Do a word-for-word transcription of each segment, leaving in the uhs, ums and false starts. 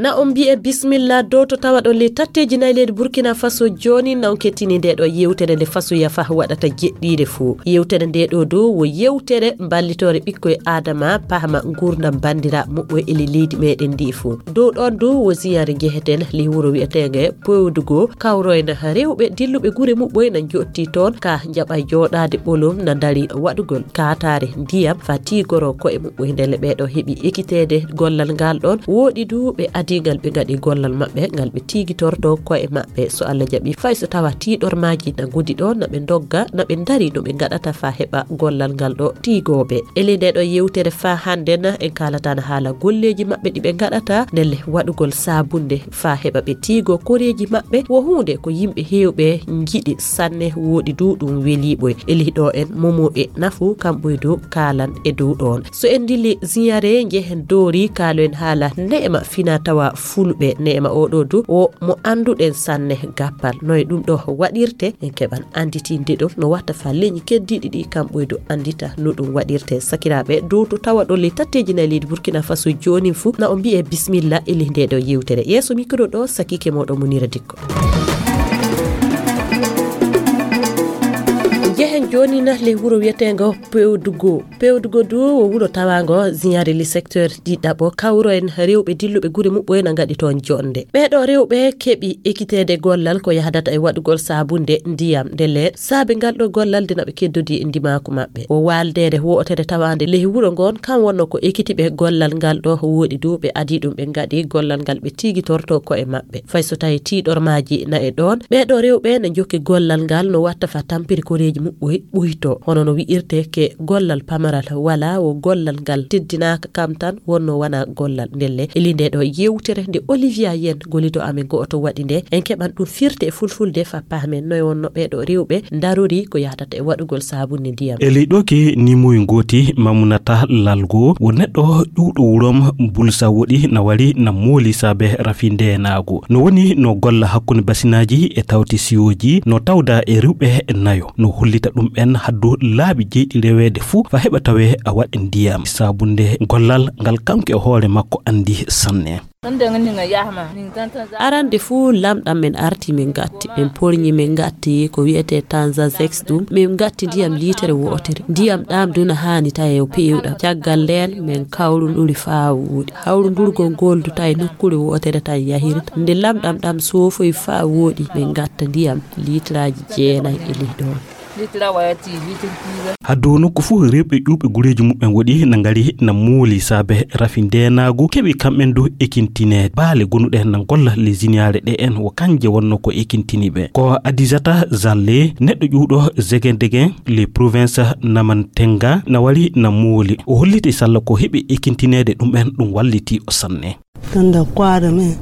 Na on mbi'e bismilla dow to tawaɗon ley tatteeji nayi leydi Burkina Faso. Jooni na on kettini nde ɗo yewtere nde Faso Yafa waɗata jeɗɗiire fuu. Yewtere nde ɗo dow wo yewtere mballitoore ɓikkoy Aadama, pahma nguurndam banndiraaɓe muɓɓoy e ley leydi meɗen ndi fuu. Dow ɗon dow wo ziyaare njeheten ley wuro wi'eteenge Pewdugo, kawroyna rewɓe dilluɓe gure muɓɓoy na njotti toon, ka njaɓa jooɗaade ɓolum na ndari waɗugol kaataare ndiyam fa tiigoro ko'e muɓɓoy. Ndelle ɓee ɗo heɓi ekiteede gollal ngal ɗon. Wooɗi du ɓe adii ngal ɓe ngaɗi gollal maɓɓe ngal ɓe tiigitorto ko'e maɓɓe. So Allah jaɓi, fay so tawa tiiɗormaaji na ngodi ɗo, na ɓe ndogga, na ɓe ndari no ɓe ngaɗata fa heɓa gollal ngal ɗo tiigooɓe. E ley nde ɗo yewtere fa hannde na en kaalata na haala golleeji maɓɓe ɗi ɓe ngaɗata, ndelle waɗugol saabunde fa heɓa ɓe tiigo koreeji maɓɓe. Wo huunde ko yimɓe heewɓe njiɗi sanne, wooɗi du ɗum weliiɓoy. E ley ɗo en momo e nafu kamɓoy du kaalan e dow ɗon. So en ndili ziyare njehen doori kaaloen haala neema fina tawa fulɓe. Neema oɗo du o mo annduɗen sanne gappal. No e ɗum ɗo waɗirte en keɓan annditinde ɗum no watta fa leñi keddiɗi ɗi kamɓoy du anndita no ɗum waɗirte. Sakiraaɓe dow to tawa ɗo ley tatteeji nayi leydi Burkina Faso joonin fuu na o mbi'e bismilla e ley nde ɗo yewtere. Yeeso mikro ɗo sakike moɗo Munira Dikko. Njehen jooni na ley wuro wi'eteengo Pewdugo. Pewdugo du wo wuro tawaango ziyaare le secteur ɗiɗaɓo. Kawro en rewɓe dilluɓe gure muɓɓoy na ngaɗi toon jonde. Ɓee ɗo rewɓe keɓi ekiteede gollal ko yahdata e waɗugol saabunde ndiyam. Ndelle saabe ngal ɗo gollal de na ɓe keddodi e ndimaaku maɓɓe. Wo waaldeere wootere tawaande ley wuro ngon kam wonno ko ekitiɓe gollal ngal ɗo. Wooɗi du ɓe adii ɗum ɓe ngaɗi gollal ngal ɓe tiigitorto ko'e maɓɓe. Fay so tawi tiiɗormaaji na e ɗoon, ɓee ɗo rewɓe na njokki gollal ngal no watta fa tampiri koreeji muɓɓoy ɓuyto. Hono no wi'irte ke gollal pamaral wala wo gollal ngal teddinaaka kam tan wonno wana gollal. Ndelle e ley nde ɗo yewtere nde Olivia Yen gollido amen go'oto waɗi nde, en keɓan ɗum firte e fulfulde fa pahmen noy wonno ɓee ɗo rewɓe ndarori ko yahdata e waɗugol saabunde ndiyam. E ley ɗo ke nimoy ngooti Mamunata Lalgo wo neɗɗo ƴuwɗo wurom Bulsa woɗi na wari na mooli saabe rafi ndeenaagu. No woni no golla hakkunde basinaaji e tawti siyooji, no tawda e rewɓe nayo. No hollita ɗum en haddu laabi jeyɗi reweede fuu fa heɓa tawe a waɗi ndiyam. Saabunde gollal ngal kanko e hoore makko anndi sanne. Arande fuu lamɗam men arti men gatti. Men porñi men gatti ko wi'etee tanza zex ɗum. Men gatti ndiyam liitere wootere. Ndiyam ɗam duna haani tawi o peewɗam. Caggal ndeen men kawrunduri faa wooɗi. Hawrundurgol ngol du tawi nokkuure wootere tan yahirta. Nde lamɗam ɗam soofoyi faa wooɗi men gatta ndiyam liitiraaji jeenayi e ley ɗoon. Haddu nokku fuu rewɓe ƴuwɓe gureeji muɓɓen woɗi na ngari na mooli saabe rafi ndeenaagu keɓi kamɓen du ekintineede. Baale gonuɗe na golla ley ziniyaare ɗe en wo kanje wonno ko ekintini ɓe. Ko Adisata Zalle, neɗɗo ƴuwɗo Zegendegen, ley province Namantenga, na wari na mooli. O holliti salla ko heɓi ekintineede ɗum en ɗum walliti o sanne. Tunda kwara me.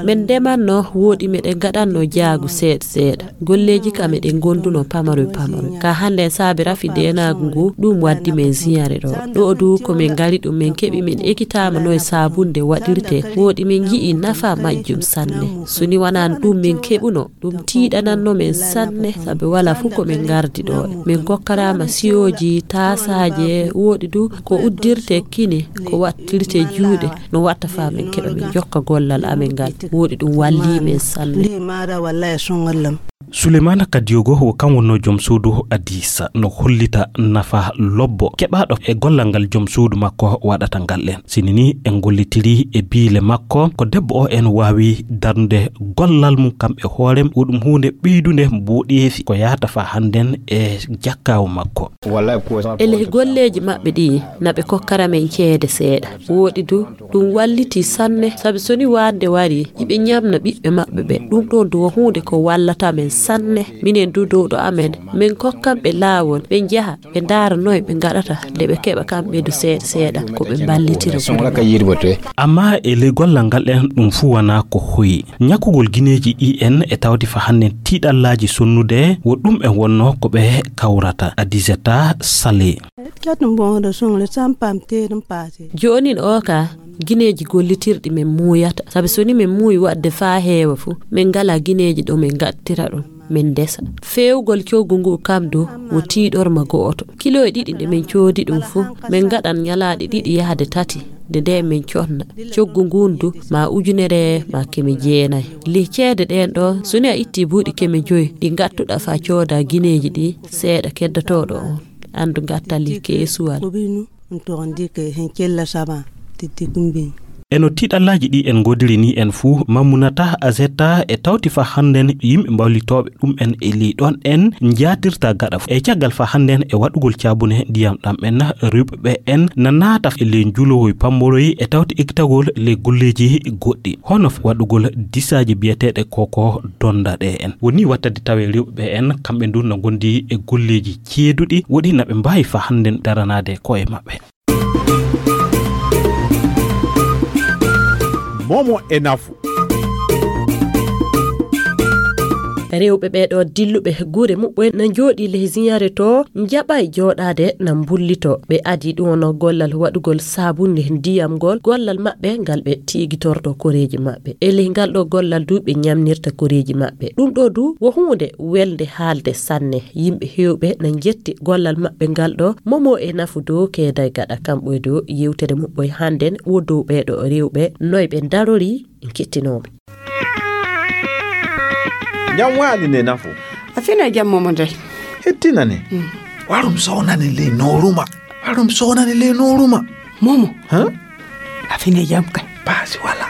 Men ndemanno wooɗi meɗen ngaɗanno jaagu seeɗa seeɗa. Golleeji kam eɗen ngonduno pamaroy pamaroy. Ka hannde en saabi rafi ndeenaagu ngu, ɗum waddi men ziyare ɗo. Ɗo du ko men ngari ɗum men keɓi men ekitaama no e saabunde waɗirte. Wooɗi men ngi'i nafa majjum sanne. So ni wanaano ɗum men keɓuno, ɗum tiiɗananno men sanne, sabi wala fuu ko men ngardi ɗo. Men kokkaraama siyooji, taasaaji e wooɗi du ko uddirte kine, ko wattirte juuɗe, no watta faa men keɓa men jokka gollal amen ngal. Wooɗi ɗum wallii men sanne. Sulemana Kadiyogo wo kam wonno joom suudu Adisa, no hollita nafa lobbo keɓaaɗo e gollal ngal joom suudu makko waɗata ngal en. Sini ni en gollitiri e biile makko, ko debbo o en waawi darnude gollal mum kam e hoore mum, wo ɗum huunde ɓeydunde mboɗeefi ko yahata faa hannden e jakkaawu makko. E ley golleeji maɓɓe ɗi, na ɓe kokkara men ceede seeɗa. Wooɗi du, ɗum walliti sanne, sabi so ni waande wari, iɓe ñamna ɓiɓɓe maɓɓe ɓe. Ɗum ɗoon du wo huunde ko wallata men sanne. Minen du dow ɗo amen, men kokkan ɓe laawol, ɓe njaha, ɓe ndaara noy ɓe ngaɗata, nde ɓe keɓa kamɓe du seeɗa seeɗa, ko ɓe mballitira gure maɓɓe. Amma e ley gollal ngal en, ɗum fuu wanaa ko hoyi. Ñakkugol gineeji ɗi en e tawti fa hannden tiiɗallaaji sonnude, wo ɗum en wonno ko ɓe kawrata. Adisata Sale. Jooni o ka, gineeji gollitirɗi men muuyata, sabi so ni men muuyi waɗde faa heewa fu, men ngalaa gineeji ɗo men ngattira ɗum, men ndesa. Feewgol coggu ngu kam du wo tiiɗorma go'oto. Kiloy ɗiɗi nde men coodi ɗum fu, men ngaɗan ñalaaɗe ɗiɗi yahde tati, Nde nde min conna coggu ngun du ma ujunere ma keme jeenay. Lih ceede ɗen ɗo, so ni a itti buuɗi keme joyi ɗi ngattuɗa fa cooda gineeji ɗi, seeɗa keddotooɗo on. Andu ngattal lih keesuwal. Ko binu, on to on dike hen cella sama, tiddi kumbi. E no tiɗallaaji ɗi en ngoodiri ni en fuu, Mammunata Azetta e tawti fa hannden yimɓe mbawlitooɓe ɗum en e ley ɗon en njaatirta gaɗa. E caggal fa hannden e waɗugol caabune ndiyam ɗam en, rewɓe ɓe en na naata e ley njulowoy pammoroy e tawti ekkitagol ley golleeji goɗɗi, hono waɗugol disaaji biyeteeɗe koko donda ɗe en. Woni wattade tawe rewɓe ɓe en, kamɓe ndu na ngondi e golleeji ceeduɗi, woɗi na ɓe mbaawi fa hannden daranaade ko'e maɓɓe. Momo e nafu. Rewɓe ɓeeɗo dilluɓe gure muɓɓen na njooɗi leh ziyaare to, njaɓay jooɗaade na mbullito. Ɓe adi ɗum no gollal waɗugol saabunde ndiyam ngol, gollal maɓɓe ngal ɓe tiigitorto koreeji maɓɓe. E leh ngal ɗo gollal du ɓe ñamnirta koreeji maɓɓe. Ɗum ɗo du wo huunde welde haalde sanne. Yimɓe heewɓe na njetti gollal maɓɓe ngal ɗo. Momo e nafu dow keeday gaɗa kamɓe dow yewtere muɓɓoy hannden wo dow ɓeeɗo rewɓe noy ɓe darori. Kettinooɓe. Jam waali ne nafu. A fina jam momo dey. Hettina ne. Mm. Warum sownani le noruma. Warum sownani le noruma. Momo. Ha? A fina jam kay. Paasi wala.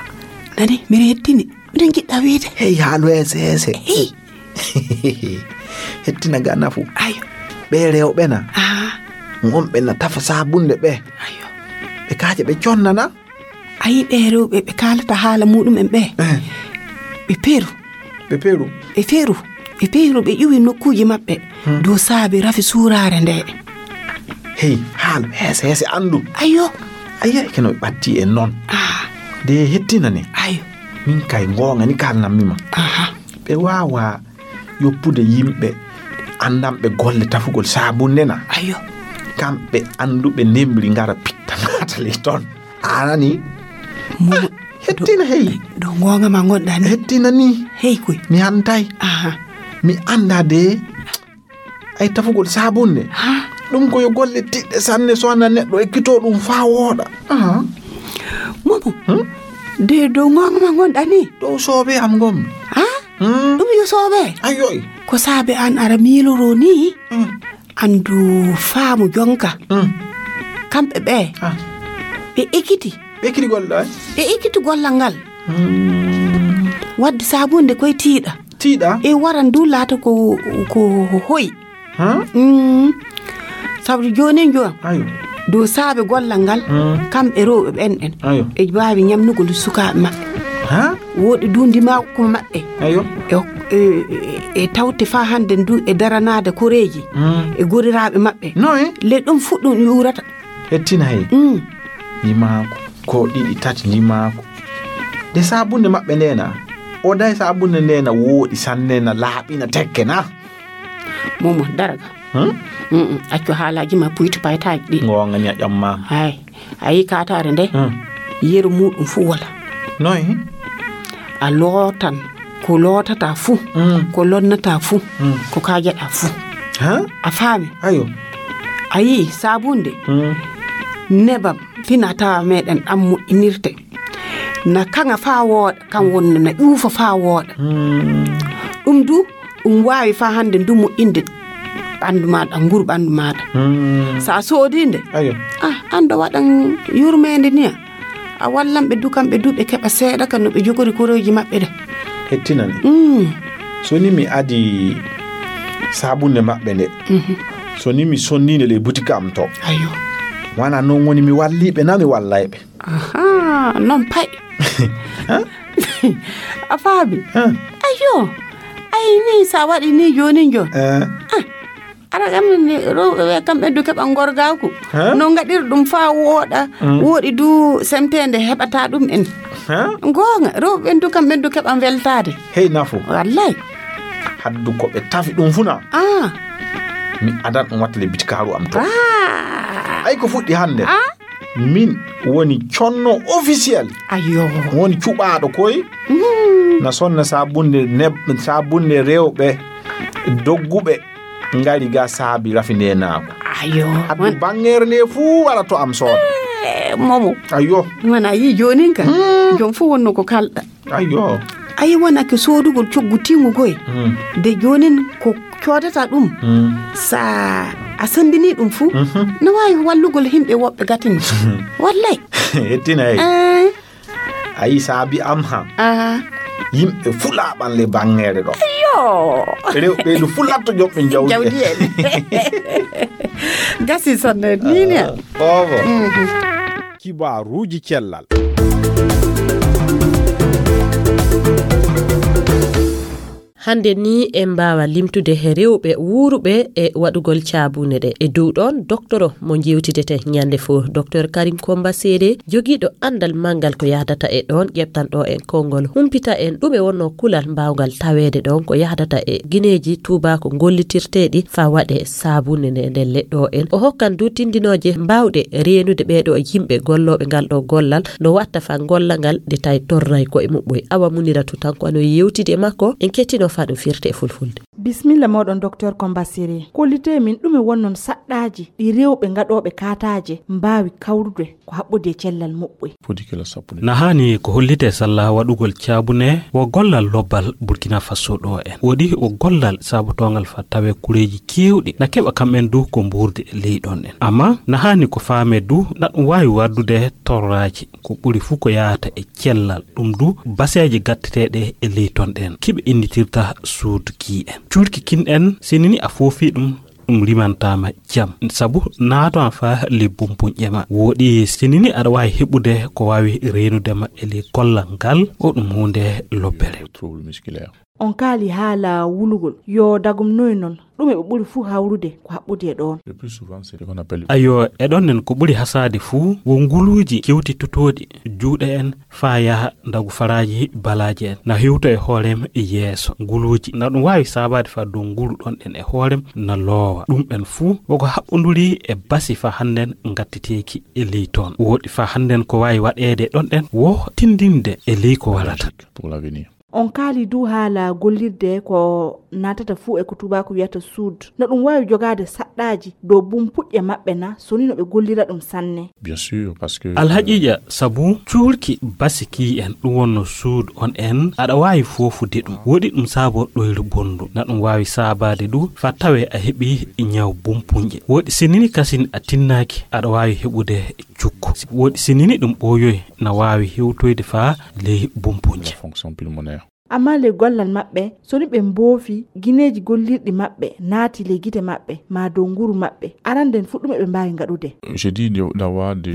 Nani, mire hettini. Miɗen jiɗɗa wiide. Hey, haalu heese heese. Hey. Hettina ga nafu. Ayo. Ɓe rewɓe na. Ah. Ngonɓe na tafa saabunde ɓe. Ayo. Ɓe kaaje ɓe connana. A yi ɓe rewɓe ɓe kaalata haala muɗum en ɓe. Eh. Ɓe peru. Ɓe peru. Ɓe peru. Ɓe peru ɓe ƴuwi nokkuuji maɓɓe. Hmm. Dow saabi rafi suuraare nde. Hey, haalu heese heese anndu. Ayo. Ayo, keno ɓe ɓatti en noon. Ah. De hettina ni. Ayo. Min kay ngoonga ni kaalnammi ma. Aha. Ɓe waawa yoppude yimɓe anndanɓe golle tafugol saabunde na. Ayo. Kamɓe annduɓe ndembri ngara pitta naata ley toon. A nani? Momo. Hettina hey. Ɗo ngoonga ma ngonɗa ni. Hettina ni. Hey koy. Mi hantay. Aha. Mi annda de. Ay tafugol saabunde. Ha? Ɗum ko yo golle tiɗɗe sanne so wona neɗɗo ekkito ɗum faa wooɗa. Aha. Momo. Hmm? De dow ngoonga ma ngonɗa ni. Dow soobe am ngonmi. Ha? Hmm? Ɗum yo soobe. Ayoy. Ko saabe an ara miiloro ni. Hmm. Anndu faamu jonka. Hmm. Kamɓe ɓe. Ah. Ɓe ekkiti. Ɓe ekkiti golle ɗo, eh? Ɓe ekkiti gollal ngal. Hmm. Wadde saabunde koye tiiɗa. Tiiɗa? E waran du laata ko, ko hoyi. Ha? Mm. Sabu jooni jooni. Ayo. Dow saabe gollal ngal, hmm, kamɓe rewɓe ɓen en. Ayo. E mbaawi ñamnugol sukaaɓe maɓɓe. Ha? Wooɗi du ndimaagu ko maɓɓe. Ayo. E, e, e tawte faa hannde ndu e daranaade koreeji. Hmm. E goriraaɓe maɓɓe. Noy? Le ɗum fuɗɗum yuurata. Hettina hey. Mm. Ndimaagu. Ko ɗiɗi tati ndimaagu. De saabunde maɓɓe nde na. O day saabunde nde na wooɗi sanne na laaɓi na tekke na. Momo, daraga. Hmm? Mm-mm. Accu haalaaji ma puytu paytaaji ɗi. Ngoonga ni a ƴammaama. Hay. A yi kaataare nde? Hmm. Yeru muɗum fu wala. Noy? A lootan ko lootata fu, hmm, ko lonnata fu, hmm, ko kaajaɗa fu. Ha? A faami? Ayo. A yi saabunde? Hmm. Nebam fina tawa meɗen ɗam moƴƴinirte. Na kaŋa faa wooɗa, kam wonno na ƴuufa faa wooɗa. Hmm. Ɗum du, ɗum waawi faa hannde ndu moƴƴinde ɓanndu maaɗa, nguru ɓanndu maaɗa. Hmm. So a soodii nde, ayo, ah, an ɗo waɗan yurmeende ni a, a wallan ɓe du, kamɓe du ɓe keɓa seeɗa ka no ɓe jogori korooji maɓɓe ɗe. Hettinani. Mm. So ni mi adi saabunde maɓɓe nde, mhm, so ni mi sonnii nde ley butika am to. Ayo. Wana noon woni mi wallii ɓe, na mi wallay ɓe. Aha, noon pay. Ha? A faami? Ha? Ayo. Ay ni, sa waɗi ni jooni jooni. Eh. Ah, ara kam ni, rewɓe ɓe kamɓe du keɓa ngorgaaku. Ha? No ngaɗir ɗum faa wooɗa, mm, wooɗi du semteende heɓata ɗum en. Ha? Ngoonga, rewɓe ɓen du kamɓe du keɓa weltaade. Hey nafu. Wallay. Haddu ko ɓe tafi ɗum fu na. Ah. Mi adan ɗum watta le bitikaaru am to. Ah. Ay ko fuɗɗi hannde. Ah. Min woni conno officiel. Ayo. Woni cuɓaaɗo koy. Mm. Na sonna saabunde neb-, saabunde rewɓe dogguɓe ngari ga saabi rafi nde naako. Ayo. Haddu won- bangeere nde fuu wara to am sooda. Eh, momo. Ayyo. Mana yi jonin ka. Jom fu wonno ko kalɗa. Ayyo. Ayi wona ko soodugol coggu timugoy. De jonin ko coodata ɗum. Sa a sendini ɗum fu. Na wawi wallugol himɓe woɓɓe gatini. Wallay. Hettina. Eh. Ayi saabi am ha. Yimɓe fulaɓan le bangere ɗo. Yo. Rewɓe du fulatto joɓɓe jawdi. Jawdi en. Gasi sonne nini. Obo. Kibaruji cellal. Hannde ni en mbaawa limtude he rewɓe wuuruɓe e waɗugol caabune ɗe. E dow ɗoon, doktoro mo njeewtidete ñande fof, Docteur Karim Komba Sere, jogiiɗo anndal manngal ko yahdata e ɗoon, ƴeɓtanɗo en konngol, humpita en ɗume wonnoo kulal mbaawgal taweede ɗoon ko yahdata e gineeji tuubaako gollitirteeɗi faa waɗe saabune nde, nde leɗɗo en. O hokkan du tindinooje mbaawɗe reenude ɓeeɗo yimɓe gollooɓe ngal ɗo gollal, no watta faa golla ngal, nde tawi torray ko e muɓɓoy. Awa Muniratu tan ko ano yewtidi e makko, en kettino faa ɗum firte e fulfulde. Bismilla moɗon, Docteur Komba Sere. Kollite min ɗume wonnon saɗɗaaji ɗi rewɓe gaɗooɓe kaataaje mbaawi kawrude ko haɓɓodi e cellal muɓɓoy? Na haani ko hollite salla waɗugol caabune wo gollal lobbal Burkina Faso ɗo en. Woɗi wo gollal saabotoongal faa tawe kureeji keewɗi na keɓa kamɓen du ko mbuurdi e ley ɗon en. Amma na haani ko faame du na ɗum waawi waddude torraaji. Ko ɓuri fuu ko yahata e cellal, ɗum du baseeje gatteteeɗe e ley ton ɗen. Kiɓe innitirta suudu kii en. Cuurki kin en, sinini a foofii ɗum, ɗum rimantaama jam. Sabu naato an faa ley bumpuñƴe ma. Woɗi sinini aɗa waawi heɓude ko waawi reenude ma e ley kollal ngal, o ɗum huunde lobbere. On kaali haala wulugol. Yo dagum noy non? Ɗume ɓe ɓuri fuu hawrude ko haɓɓudi e ɗoon? Ayo, e ɗon nen ko ɓuri hasaade fuu, wo nguluuji kewti tutooɗi, juuɗe en, faa yaha ndagu faraaji balaaje en. Na hewto e hoorem yeeso. Nguluuji, na ɗum waawi saabaade faa dow nguru ɗon en e hoorem na loowa. Ɗum en fuu, woko haɓɓonduri e basi faa hannden ngattiteeki e ley toon. Woɗi faa hannden ko waawi waɗeede ɗon en, wo tindinde e ley ko warata. On kaali du haala gollirde ko naatata fuu e ko tuubaaku wiyata suud. No ɗum waawi jogaade saɗɗaaji dow bumpuƴƴe maɓɓe na, so ni no ɓe gollira ɗum sanne? Alhaqiiqa, sabu cuurki basi kii en, ɗum wonno suud on en, aɗa waawi foofude ɗum. Woɗi ɗum saabo ɗoyre bonndu. Na ɗum waawi saabaade du faa tawee a heɓi ñaw bumpuƴƴe. Woɗi sinini kasin a tinnaaki, aɗa waawi heɓude cukko. Woɗi sinini ɗum ɓooyoy, na waawi hewtoyde faa ley bumpuƴƴe. Amma ley gollal maɓɓe, so ni ɓe mboofi gineeji gollirɗi maɓɓe naati ley gite maɓɓe, maa dow nguru maɓɓe, arande nden fuɗɗume ɓe mbaawi ngaɗude.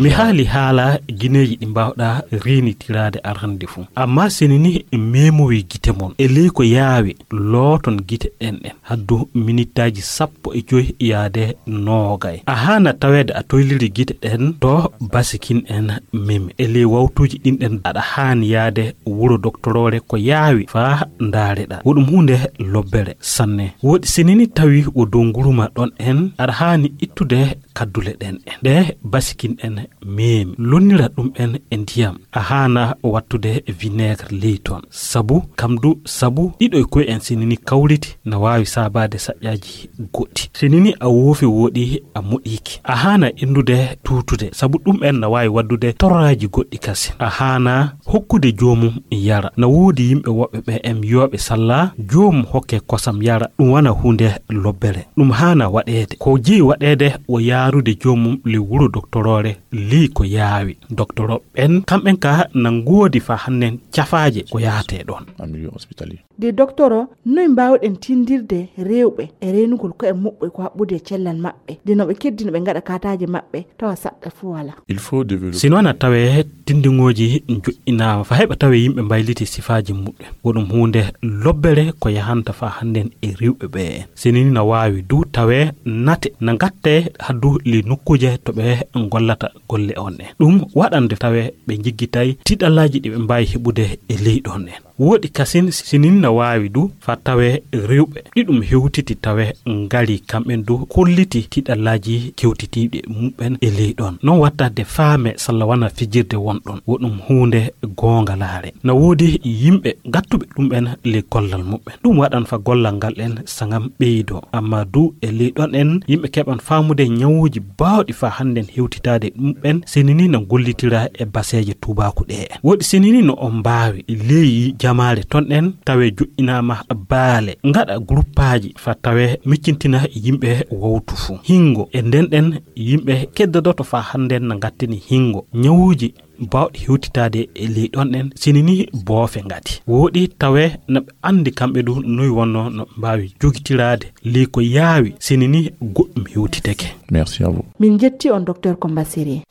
Mi haali haala gineeji ɗi mbaawɗa reenitiraade arande fuu. Amma sinini meemowi gite mon, e ley ko yaawi, looton gite ɗen ɗen. Haddu minittaaji sappo e joy yaade noogay. A haana taweede a toyliri gite ɗen to basikin en memi. E ley wawtuuji ɗin ɗen aɗa haani yaade wuro doktoroore ko yaawi faa ndaareɗaa. Wo ɗum huunde lobbere sanne. Woɗi sinini tawi wo dow nguru ma ɗon en, aɗa haani ittude kaddule ɗen en. Ɗe basikin en meemi. Lonnira ɗum en e ndiyam. A haana wattude vinaigre ley toon. Sabu, kam du, sabu ɗiɗo e koye en sinini kawriti na waawi saabaade saƴƴaaji goɗɗi. Sinini a woofi woɗi a moɗiiki. A haana inndude tuutude, sabu ɗum en na waawi waddude torraaji goɗɗi kasin. A haana hokkude joomum yara. Na woodi yimɓe woɓɓe ɓe en yooɓe salla, joomum hokke kosam yara, ɗum wana huunde lobbere. Ɗum haana waɗeede. Ko jeyi waɗeede wo yaarude joomum ley wuro doktoroore ley ko yaawi. Doktoro ɓen, kamɓen ka na ngoodi faa hannen cafaaje ko yahatee ɗoon. De doktoro, noy mbaawɗen tindirde rewɓe e reenugol ko'e muɓɓe ko haɓɓude e cellal maɓɓe, de no ɓe keddi no ɓe ngaɗa kaataaje maɓɓe, tawa saɗɗa fuu walaa? Si noon a tawee tindiŋooji njoƴƴinaama faa heɓa tawee yimɓe mbayliti sifaaji muɓɓen. Wo ɗum huunde lobbere ko yahanta faa hannden e rewɓe ɓe en. Sinini na waawi du tawee nate na ngattee haddu ley nokkuuje to ɓe ngollata golle on en. Ɗum waɗande tawee ɓe njiggitay tiɗallaaji ɗi ɓe mbaawi heɓude e ley ɗon en. Woɗi kasin sinini na waawi du fa tawe rewɓe ɗi ɗum hewtiti tawe ngari kamɓen du kolliti tiɗallaaji kewtitiiɗi muɓɓen e ley ɗon. Non watta de faame salla wana fijirde won ɗon. Wo ɗum huunde goongalaare. Na woodi yimɓe gattuɓe ɗum'en ley gollal muɓɓen. Ɗum waɗan fa gollal ngal en sangam ɓeydo. Amma du e ley ɗon en yimɓe keɓan faamude ñawuuji baawɗi fa hannden hewtitaade ɗum'en sinini na gollitira e baseeje tuubaaku ɗe en. Woɗi sinini no on mbaawi ley jamaare ton en tawe joƴƴinaama baale, ngaɗa guruppaaji fa tawe miccintina yimɓe wowtu fu. Hingo e nden ɗen yimɓe keddodoto fa hannden na ngattini hingo. Ñawuuji baawɗi hewtitaade e ley ɗon en sinini boofe ngati. Woɗi tawe na ɓe anndi kamɓe du noy wonno no ɓe mbaawi jogitiraade ley ko yaawi sinini goɗɗum hewtiteke. Merci à vous. Min jetti on, Docteur Komba Siri.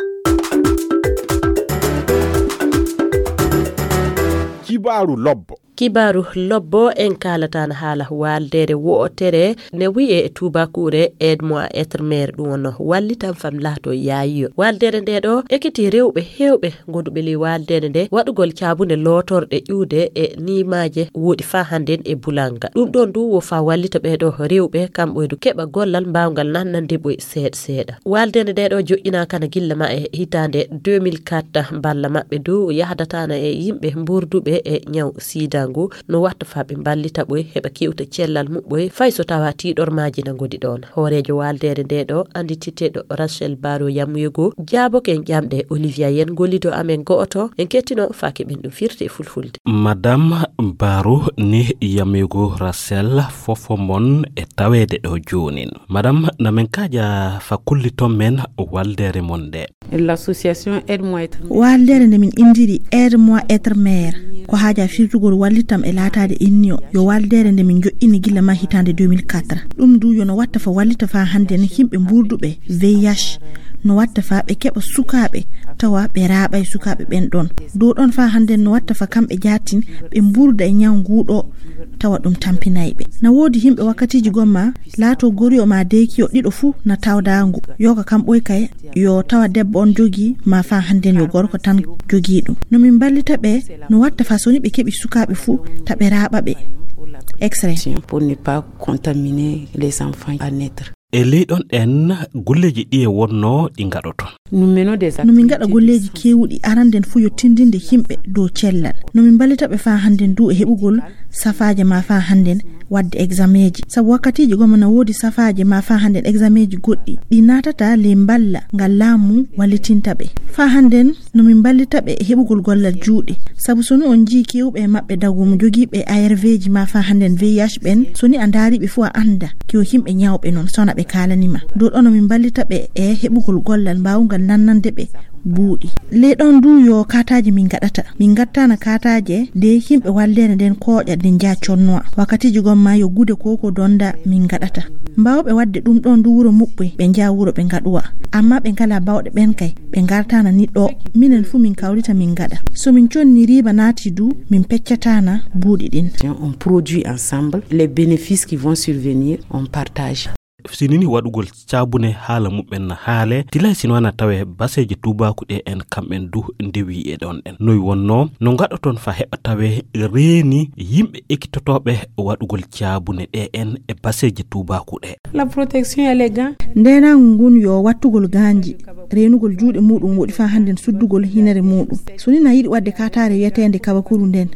Kibaaru lobbo. Kibaaru lobbo en kaalataana haala waaldeere wo'otere ne wi'e e tuubaakuure Aide-moi être mère, ɗum wonno wallitam fam laato yaayiyo. Waaldeere nde ɗo ekiti rewɓe heewɓe gonduɓe ley waaldeere nde waɗugol caabunde lootorɗe ƴuude e niimaaje woɗi faa hannden e bulanga. Ɗum ɗon du wo faa wallita ɓee ɗo rewɓe kamɓe du keɓa gollal mbaawngal nannande ɓoy seeɗa seeɗa. Waaldeere nde ɗo joƴƴinaakana gilla ma e hitaande deux mille quatre. Balla maɓɓe du yahdataana e yimɓe mburduɓe e ñaw sida ngu no watta faa ɓe mballita ɓoy heɓa kewta cellal muɓɓoy fay so tawa tiiɗormaaji na ngodi ɗon. Hooreejo waaldeere nde ɗo anndititeeɗo Rachel Baro Yamuyego jaaboke en ƴamɗe Olivia Yen gollido amen go'oto en kettino faa keɓen ɗum firti e fulfulde. Madame Baro ni Yamuyego Rachel fofo mon e taweede ɗo joonin. Madame, na men kaaja fa kulliton men waaldeere mon nde. L'association Aide-moi être mère. Waaldeere nde min inndiri Aide-moi être mère ko haaja firtugol wallitam e laataade inniyo. Yo waaldeere nde min joƴƴini gilla ma hitaande deux mille quatre. Ɗum du yo no watta fa wallita faa hannden yimɓe mburduɓe V I H. No watta faa ɓe keɓa sukaaɓe tawa ɓe raaɓay sukaaɓe ɓen ɗon. Dow ɗon faa hannden no watta fa kamɓe jaatin ɓe mburda e ñaw nguu ɗo tawa ɗum tampinay ɓe. Na woodi yimɓe wakkatiiji gomma laato goriyo maa deekiyo ɗiɗo fuu na tawda ngu. Yoga kam ɓoy kay yo tawa debbo on jogii maa faa hannden yo gorko tan jogii ɗum. No min mballita ɓe no watta faa so ni ɓe keɓi sukaaɓe fuu ta ɓe raaɓa ɓe. Extrait. Pour ne pas contaminer les enfants à naître. E ley ɗon ɗen golleeji ɗiye wonno ɗi ngaɗoton? No min ngaɗa golleeji keewuɗi aranden fuu yo tindinde yimɓe dow cellal. No min mballita ɓe faa hannden du e heɓugol safaaje maa faa hannden waɗde exameeji. Sabu wakkatiiji gomma na woodi safaaje maa faa hannden exameeji goɗɗi ɗi naatata ley mballa ngal laamu wallitinta ɓe. Faa hannden no min mballita ɓe e heɓugol gollal juuɗe. Sabu so ni on njii keewɓe e maɓɓe dagu mo jogiiɓe A R V ji maa faa hannden V I H ɓen, so ni a ndaari ɓe fuu a annda ke o yimɓe ñawɓe non sona ɓe kaalani ma. Dow ɗon no min mballita ɓe e heɓugol gollal mbaawungal nannande ɓe buuɗi. Ley ɗon du yo kaataaje min ngaɗata. Min ngattaana kaataaje de yimɓe walleende nden kooƴa nden njaa connoa. Wakkatiiji gomma yo gude ko ko donda min ngaɗata. Mbaawɓe waɗde ɗum ɗon du wuro muɓɓoy ɓe njaa wuro ɓe ngaɗuwa. Amma ɓe ngalaa bawɗe ɓen kay ɓe ngartaana ni ɗo. Minen fuu min kawrita min ngaɗa. So min conni riiba naati du min peccataana buuɗi ɗin. On produit ensemble les bénéfices qui vont survenir, on partage. Sinini waɗugol caabune haala muɓɓen na haale tilay sino ana tawe baseeje tuubaaku ɗe en kamɓen du ndewi e ɗon en noy wonno no ngaɗoton fa heɓa tawe reeni yimɓe ekkitotooɓe waɗugol caabune ɗe en e baseeje tuubaaku ɗe. La protection et les gants. Ndenangu ngun yo wattugol gaanji reenugol juuɗe muɗum woɗi fa hannden suddugol hinere muɗum. So ni na yiɗi waɗde kaataare wiyeteende kawakuru nden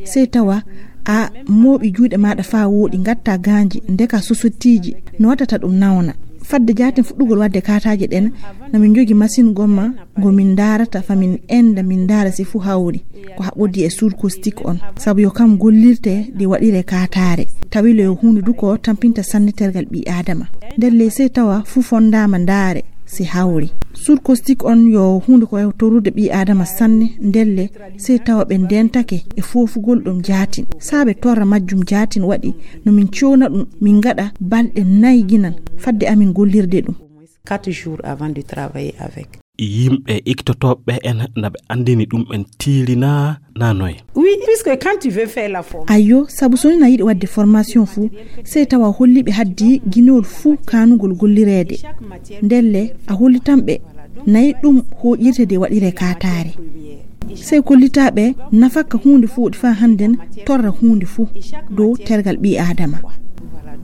sey tawa a mooɓi juuɗe maaɗa faa wooɗi ngatta gaanji ndeka sosottiiji no wattata ɗum nawna. Fadde jaaten fuɗɗugol waɗde kaataaje ɗen na min njogi masin gomma ngo min ndaarata fa min enda min ndaara si fuu hawri ko haɓodi e suur kostik on sabu yo kam gollirte nde waɗire kaataare. Tawi le yo huunde du ko tampinta sanne tergal ɓii aadama. Ndelle sey tawa fuu fondaama ndaare si hawri. Suur kostik on yo huunde ko e torrude ɓii aadama sanne. Ndelle sey tawa ɓe ndentake e foofugol ɗum jaatin. Saabe torra majjum jaatin waɗi no min cowna ɗum min ngaɗa balɗe nay ginan fadde amin gollirde ɗum. Quatre jours avant de travailler avec. Yimɓe ikkitotooɓe en na ɓe anndini ɗum en tiirinaa na noy? Oui, puisque quand tu veux faire la forme. Ayyo, sabu so ni na yiɗi waɗde formation fuu sey tawa holliɓe haddi ginol fuu kanugol gollireede. Ndelle a hollitanɓe nayi ɗum hoƴirte de waɗire kaataare. Sey kollitaa ɓe nafakka huunde fuu ɗi faa hannden torra huunde fuu dow tergal ɓii Aadama.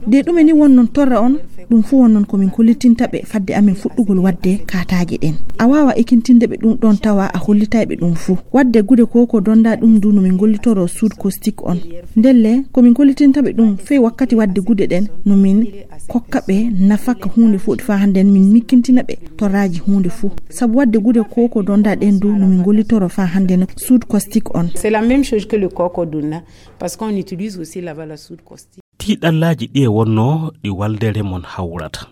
De ɗume ni wonnon torra on? Ɗum fuu wonnon ko min kollitinta ɓe fadde amin fuɗɗugol waɗde kaataaje ɗen. A waawa ekintinde ɓe ɗum ɗon tawa a hollitay ɓe ɗum fuu. Waɗde gude ko ko donda ɗum du no min gollitoro suud kostik on. Ndelle, ko min kollitinta ɓe ɗum fey wakkati waɗde gude ɗen no min kokka ɓe nafakka huunde fuu ɗi faa hannden min mikkintina ɓe torraaji huunde fuu. Sabu waɗde gude ko ko donda ɗen du no min gollitoro faa hannden suud kostik on. C'est la même chose que le coco d'Onna, parce qu'on utilise aussi là-bas la soude caustique. Tiiɗallaaji ɗi e wonnoo ɗi waldeere mon hawrata.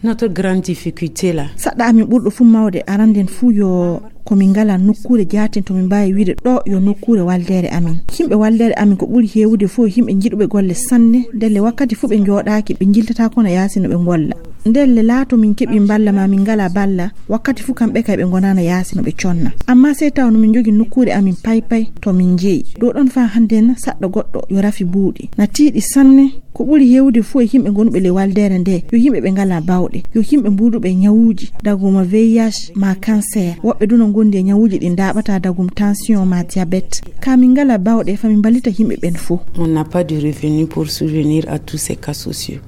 Notre grande difficulté là. Saɗɗa amin ɓurɗo fuu mawde aranden fuu yo ko min ngalaa nokkuure jaaten to min mbaawi wiide ɗo yo nokkuure waldeere amin. Yimɓe waldeere amin ko ɓuri heewude fuu yimɓe njiɗuɓe golle sanne, ndelle wakkati fuu ɓe njooɗaaki, ɓe njiltataa kono yaasi no ɓe ngolla. Ndelle laato min keɓi mballa ma min ngalaa balla, wakkati fuu kamɓe kay ɓe ngonaana yaasi no ɓe conna. Ammaa sey taw no min njogi nokkuure amin paypay to min njeyi. Ɗo ɗon faa hannden saɗɗo goɗɗo yo rafi buuɗi. Na tiiɗi sanne. Ko ɓuri heewude fuu e yimɓe gonuɓe ley waldeere nde, yo yimɓe ɓe ngalaa bawɗe, yo yimɓe mbuuduɓe e ñawuuji, daguma V I H ma cancer. Woɓɓe du no ngondi e ñawuuji ɗi ndaaɓataa, dagum tension ma diabète. Ka min ngalaa bawɗe, fa min mballita yimɓe ɓen fuu. On n'a pas de revenu pour subvenir à tous ces cas sociaux.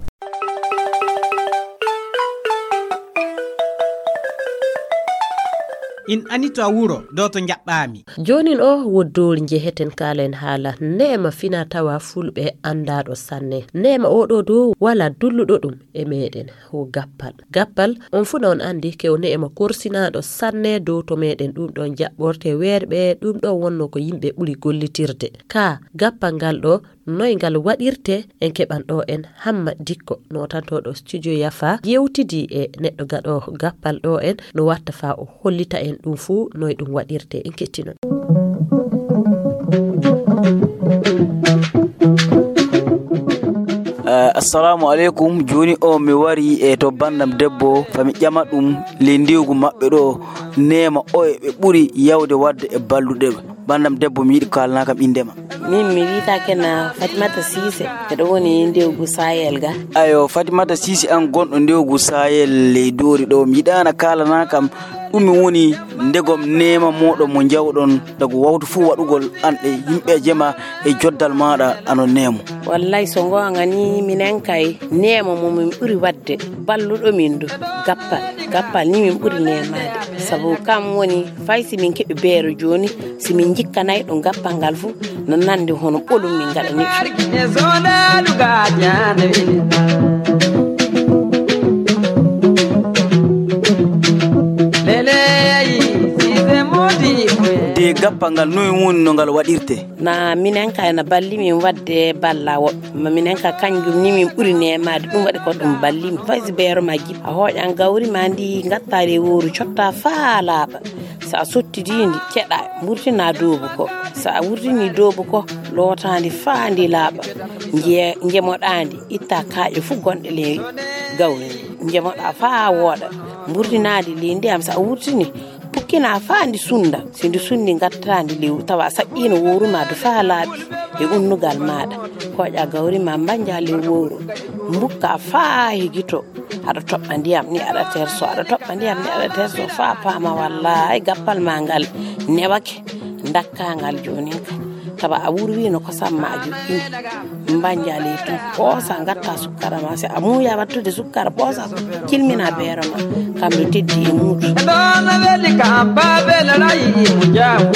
In ani to a wuro, do to njaɓɓaami. Joonin o woddoori njeheten kaalen haala neema fina tawa fulɓe anndaaɗo sanne. Neema oo ɗoo dow walaa dulluɗo ɗum e meeɗen, o gappal. Gappal, on fuu na on anndi ke o neema korsinaaɗo sanne dow to meeɗen. Ɗum ɗoon jaɓɓorte weerɓe, ɗum ɗoon wonnoo ko yimɓe ɓuri gollitirde. Kaa gappal ngal ɗoo, noy ngal waɗirte? En keɓan ɗo en Hamma Dikko, nootantooɗo studio Yafa, yewtidii e neɗɗo gaɗoowo gappal ɗo en, no watta faa o hollita en ɗum fuu, noy ɗum waɗirte. En kettino. Eh, assalamu aleykum. Jooni o mi wari e to banndam debbo, fa mi ƴama ɗum ley ndiwgu maɓɓe ɗo, neema oye ɓe ɓuri yawde waɗde e balluɗe. Banndam debbo, mi yiɗi kaalana kam innde ma. Min mi wiyata kena Fatimata Siise, miɗo woni ndewgu Sayel ga. Ayo, Fatimata Siise an gonɗo ndewgu Sayel ley Doori ɗo, mi yiɗaana kaalana kam ɗum mi woni ndegom neema mooɗon mo njawɗon dagu wawtu fuu waɗugol an e yimɓe jema e joddal maaɗa ano neemo. Wallay, so ngoonga ni, minen kay neema mo min ɓuri waɗde balluɗo min du gappal. Gappal ni min ɓuri neemaade, sabu kam woni fay si min keɓi beero jooni, si min njikkanay ɗum gappal ngal fu, no nandi hono ɓolum min ngaɗani ɗum. De gappal ngal, noy woni no ngal waɗirte? Na minen kay na balli min waɗde balla woɓɓe. Ma minen ka kanjum ni min ɓuri neemaade, ɗum waɗi ko ɗum balli min. Fay si beero ma jippi, a hooƴan gawri ma ndi, ngatta ley wowru, cotta faa laaɓa. So a sottidii ndi, ceɗa, mburtina doobu ko. So a wurtini doobu ko, loota ndi faa ndi laaɓa. Nje-, njemoɗaa ndi, itta kaaƴe fuu gonɗe ley gawri ndi. Njemoɗaa faa wooɗa, mburtinaa ndi ley ndiyam. So a wurtini, pukkina faa ndi sunda. Si ndi sundi, ngatta ndi ley, tawa a saƴƴiino wowru ma du faa laaɓi e unnugal maaɗa. Kooƴa gawri ma, mbanja ley wowru. Mbukka faa higito. Aɗa toɓɓa ndiyam ni, aɗa terso, aɗa toɓɓa ndiyam ni, aɗa terso, faa paama wallaahi gappal ma ngal newake, ndakka ngal joonin ka. Tawa a wurwino kosam ma a joƴƴini. Mbanja ley tun, ɓoosa, ngatta sukkara ma. Si a muuya wattude sukkara, ɓoosa, cilmina beero ma. Kam no teddi e muuɗum. Ɗon weli kam, Baabel rayi mo jaamu.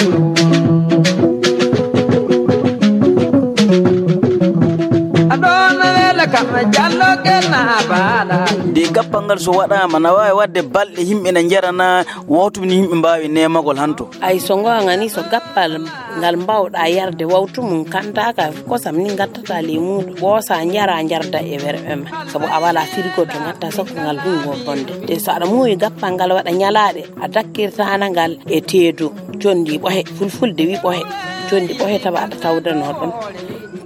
Ɗon weli kam, Jallo Gena Baala. Nde gappal ngal so waɗaama, na waawi waɗde balɗe yimɓe na njarana, wawtu ni yimɓe mbaawi neemagol hanto. Ay, so ngoonga ni, so gappal ngal mbawɗa yarde wawtu mum, kanta ka kosam ni ngattata ley muuɗum, ɓoosa, njara, njarda e werɓe ma. Sabu a wala frigo to ngatta sakko ngal hungo bonde. Te so aɗa muuyi gappal ngal waɗa ñalaaɗe, a dakkirtana ngal e teedo, condi ɓohe, fulfulde wi ɓohe, condi ɓohe tawa aɗa tawdano ɗon.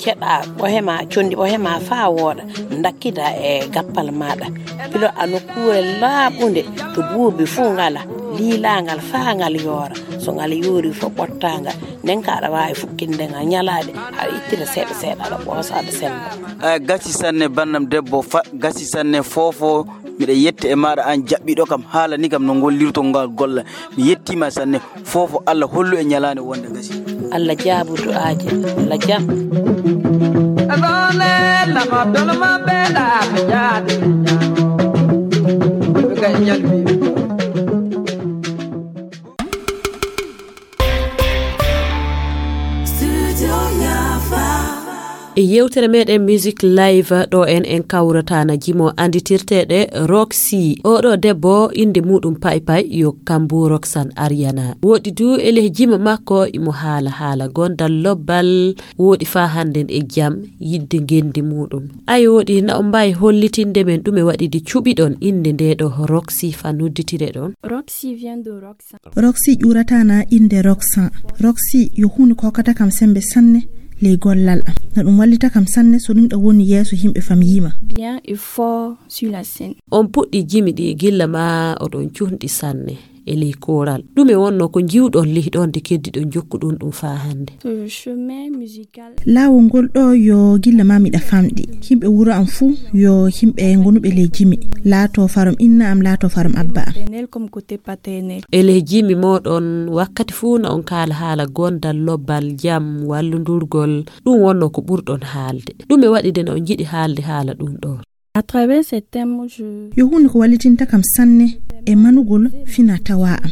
Ceɗa ɓohe ma, condi ɓohe ma faa wooɗa, dakkida e gappal maaɗa. Pilo a nokkuure laaɓunde to buubi fuu ngala, liila ngal faa ngal yoora. So ngal yoori fof ɓottaanga, nden ka aɗa waawi fukkinde ngal ñalaade, aɗa ittina seeɗa seeɗa, aɗa ɓoosa, aɗa sello. A gasi sanne, bannam debbo, fa gasi sanne, foofo. Miɗa yetta e maaɗa, aan jaɓɓiiɗo kam, haalani kam no ngollirto ngal golla. Mi yettiima sanne, foofo. Allah hollu e ñalaande wonde gasi. Allah jaabu du'aaje, Allah jam. E yewtere meɗen Music Live ɗo en, en kawrata na jimo anditirteɗe Roxy. Oɗo debbo inde muɗum Pay Pay yo Kambu Roxanne Ariana. Woɗi du e leh jimo makko imo haala haala gondal lobbal woɗi fa hannden e jam yidde ngendi muɗum. Ay woɗi na on mbawi hollitinde men ɗume waɗi de cuɓiɗon inde nde ɗo Roxy fa nodditire ɗon? Roxy vient de Roxanne. Roxy ƴuurata na innde Roxanne. Roxy yo huunde ko hokkata kam semmbe sanne ley gollal am. Na ɗum wallita kam sanne so ɗum ɗo woni yeeso yimɓe fam yiima. Bien et fort sur la scène. On puɗɗi jimi ɗi gilla ma oɗon cuhndi sanne e ley kooral. Ɗume wonno ko njiwɗon lih ɗon de keddiɗon jokkuɗon ɗum faa hannde? Le chemin musical. Laawol ngol ɗo yo gilla ma miɗa famɗi. Yimɓe wuro am fuu yo yimɓe ngonuɓe ley jimi. Laato farum inna am, laato farum abba am. Paternel comme côté paternel. E leh jimi moɗon wakkati fuu na on kaala haala gondal, lobbal, jam, wallundurgol. Ɗum wonno ko ɓurɗon haalde. Ɗume waɗi de na on njiɗi haalde haala ɗum ɗo? À travers ces thèmes, je... Yo huunde ko wallitinta kam sanne e manugol fina tawa am.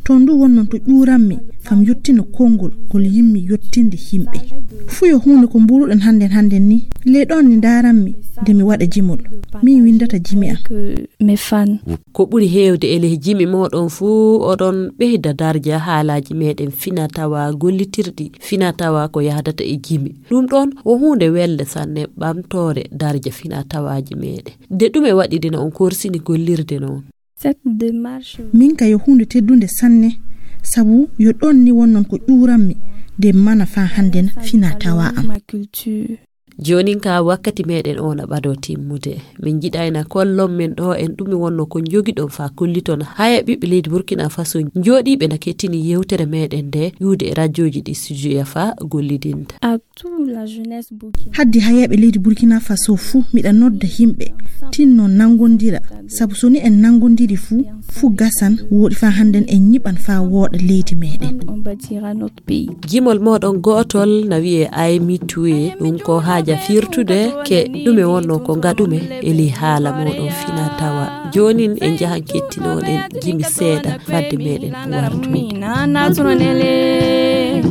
To ndu wonnon to ƴuuranmi fam yottina konngol ngol yimmi yottinde yimɓe. Fuu yo huunde ko mbuuruɗen hannden hannden ni. Ley ɗon ni ndaaranmi nde mi waɗa jimol. Min winndata jimi am. Que mes fans. Ko ɓuri heewde e leh jimi moɗon fuu oɗon ɓeyda darja haalaaji meɗen fina tawa gollitirɗi fina tawa ko yahdata e jimi. Ɗum ɗon wo huunde welde sanne ɓamtoore darja fina tawaaji meɗen. De ɗume waɗi de na on korsini gollirde noon? Cette démarche. Min ka yo huunde teddunde sanne, sabu yo ɗon ni wonnon ko ƴuuranmi de mana faa hannden fina tawa am. Ma culture. Joonin ka wakkati meɗen o na ɓado timmude. Min njiɗayna kollon men ɗo en ɗume wonno ko njogiɗon faa kolliton haya ɓiɓɓe leydi Burkina Faso njooɗiiɓe na kettini yewtere meɗen nde ƴuude e rajooji ɗi studio yafa gollidinta. À toute la jeunesse burkinabé. Haddi hayeeɓe leydi Burkina Faso fuu miɗa nodda yimɓe tinno nanngondira, sabu so ni en nanngondiri fuu, fuu gasan woɗi faa hannden en nyiɓan faa wooɗa leydi meɗen. On bâtira notre pays. Jimol moɗon gootol na wi'e Ay mi tuwe, ɗum ko haaja firtude ke ɗume wonno ko ngaɗume e ley haala moɗon fina tawa. Joonin en njahan kettinoɗen jimi seeɗa fadde meɗen wartude. Nana tunanele.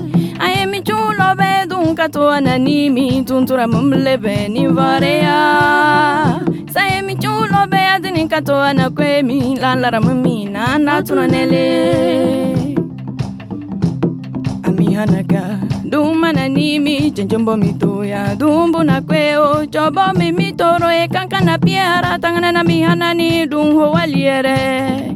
Aye mi cuulo be dun ka to anani mi tuntura mumle be ni vareya. Saye mi cuulo be adini ka to ana kwe mi lalara mi nana tunanele. Ami hanaga dum manani mi jenjombo mi toya dum buna kwe o jobo mi mi toro e kankana piara tangana na mi hanani dum ho waliere.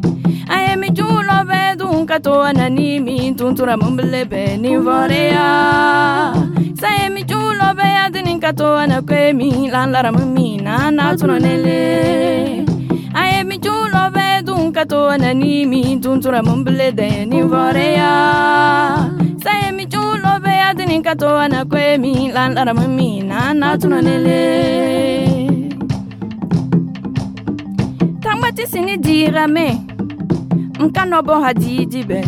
Aye mi cuulo be dun ka to anani mi tuntura mumble be ni voreya. Saye mi cuulo be adini ka to ana kwe mi lalara mi nana tunanele. Aye mi cuulo be dun ka to anani mi tuntura mumble de ni voreya. Saye mi cuulo be adini ka to ana kwe mi lalara mi nana tunanele. Tangba ti sini dira me. Nkano bo hadidi be.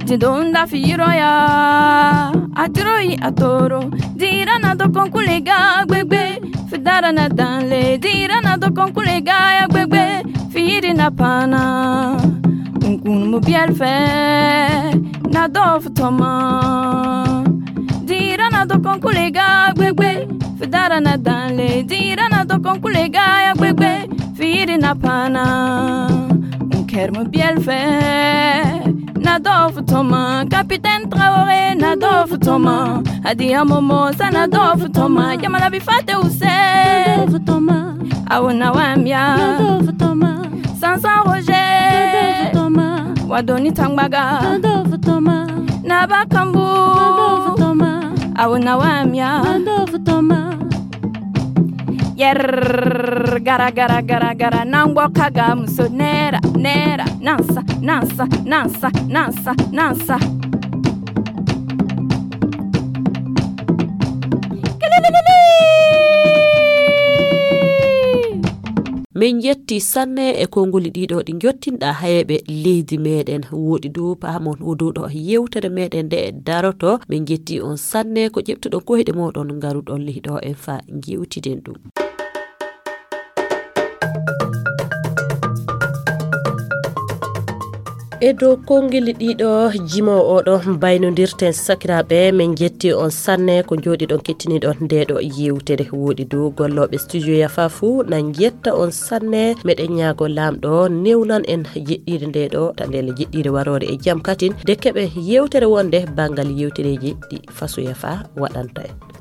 Didonda firo ya. Atiro yi atoro. Dira na do konkule ga gbegbe. Fidara na danle. Dira na do konkule ga ya gbegbe. Firi na pana. Nkun mu biel fe. Na do futoma. Dira na do konkule ga gbegbe. Fidara na danle. Dira na do konkule ga ya gbegbe. Firi na pana. Unker mu biel fe. Na do futoma. Capitaine Traoré na do futoma. Adi amomo sa na do futoma. Yamala bi fate use. Na do futoma. Awuna wamya. Na do futoma. Sansa Roger. Na do futoma. Wadoni tangbaga. Na do futoma. Na bakambu. Na do futoma. Awuna wamya. Na do futoma. Yer gara gara gara gara nangbo kaga muso nera nera nansa nansa nansa nansa nansa. Min njetti sanne e konngoli ɗiɗo ɗi njottinɗa hayeɓe leydi meɗen. Woɗi dow pahamon o dow ɗo yewtere meɗen nde daroto. Min njetti on sanne ko ƴeftuɗon koyɗe moɗon ngaruɗon lihiɗo en fa jewtiden ɗum. E dow konngeli ɗiɗo jimo oɗo mbaynodirten sakiraɓe. Min jetti on sanne ko jooɗiɗon kettiniɗon ndeɗo yewtere. Woɗi dow gollooɓe studio yafa fuu na jetta on sanne. Meɗen ñaago laamɗo newnan en jeɗɗire ndeɗo ta ndele jeɗɗire waroore e jam katin de keɓen yewtere wonde banngal yewtereji ɗi faso yafa waɗanta en.